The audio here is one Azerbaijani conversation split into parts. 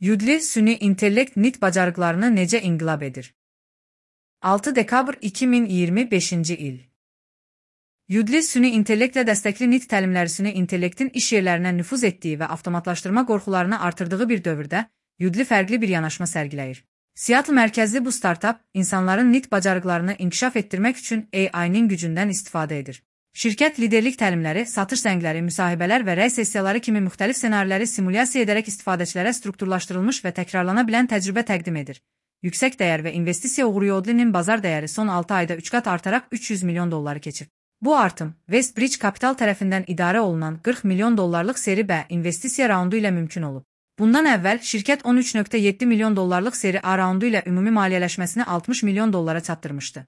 Yudli süni intellekt NIT bacarıqlarını necə inqilab edir? 6 dekabr 2025-ci il. Yudli süni intellektlə dəstəkli NIT təlimləri süni intellektin iş yerlərinə nüfuz etdiyi və avtomatlaşdırma qorxularını artırdığı bir dövrdə Yudli fərqli bir yanaşma sərgiləyir. Seattle mərkəzli bu startap, insanların NIT bacarıqlarını inkişaf etdirmək üçün AI-nin gücündən istifadə edir. Şirkət liderlik təlimləri, satış zəngləri, müsahibələr və rəy sessiyaları kimi müxtəlif ssenariləri simulyasiya edərək istifadəçilərə strukturlaşdırılmış və təkrarlana bilən təcrübə təqdim edir. Yüksək dəyər və investisiya uğuru Yudlinin bazar dəyəri son 6 ayda 3 qat artaraq $300 milyon keçib. Bu artım, Westbridge Capital tərəfindən idarə olunan $40 milyon seri B investisiya raundu ilə mümkün olub. Bundan əvvəl, şirkət $13.7 milyon seri A raundu ilə ümumi maliyyələşməsini $60 milyon çatdırmışdı.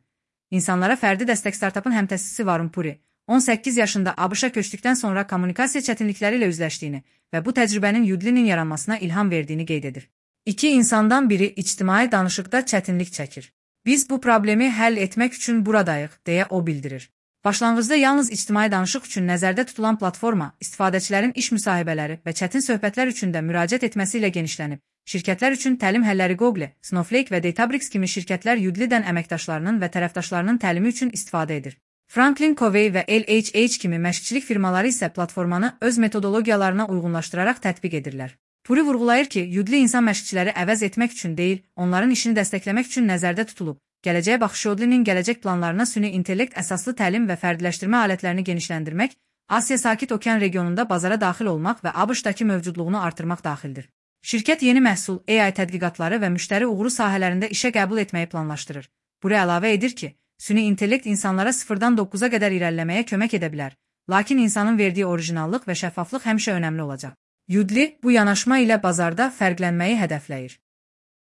İnsanlara fərdi dəstək startapın həmtəsisi Varun Puri, 18 yaşında ABŞ-a köçdükdən sonra kommunikasiya çətinlikləri ilə üzləşdiyini və bu təcrübənin Yudlinin yaranmasına ilham verdiyini qeyd edir. İki insandan biri ictimai danışıqda çətinlik çəkir. Biz bu problemi həll etmək üçün buradayıq, deyə o bildirir. Başlanğıcda yalnız ictimai danışıq üçün nəzərdə tutulan platforma, istifadəçilərin iş müsahibələri və çətin söhbətlər üçün də müraciət etməsi ilə genişlənib. Şirkətlər üçün təlim həlləri Google, Snowflake və Databricks kimi şirkətlər Yudlidən əməkdaşlarının və tərəfdaşlarının təlimi üçün istifadə edir. Franklin Covey və LHH kimi məşqçilik firmaları isə platformanı öz metodologiyalarına uyğunlaşdıraraq tətbiq edirlər. Puri vurğulayır ki, Yudli insan məşqçiləri əvəz etmək üçün deyil, onların işini dəstəkləmək üçün nəzərdə tutulub. Gələcəyə baxış Yudlinin gələcək planlarına süni intellekt əsaslı təlim və fərdiləşdirmə alətlərini genişləndirmək, Asiya Sakit Okean regionunda bazara daxil olmaq və ABŞ-dakı mövcudluğunu artırmaq daxildir. Şirkət yeni məhsul, AI tədqiqatları və müştəri uğuru sahələrində işə qəbul etməyi planlaşdırır. Puri əlavə edir ki, süni intellekt insanlara 0-dan 9-a qədər irəliləməyə kömək edə bilər, lakin insanın verdiyi orijinallıq və şəffaflıq həmişə önəmli olacaq. Yudli bu yanaşma ilə bazarda fərqlənməyi hədəfləyir.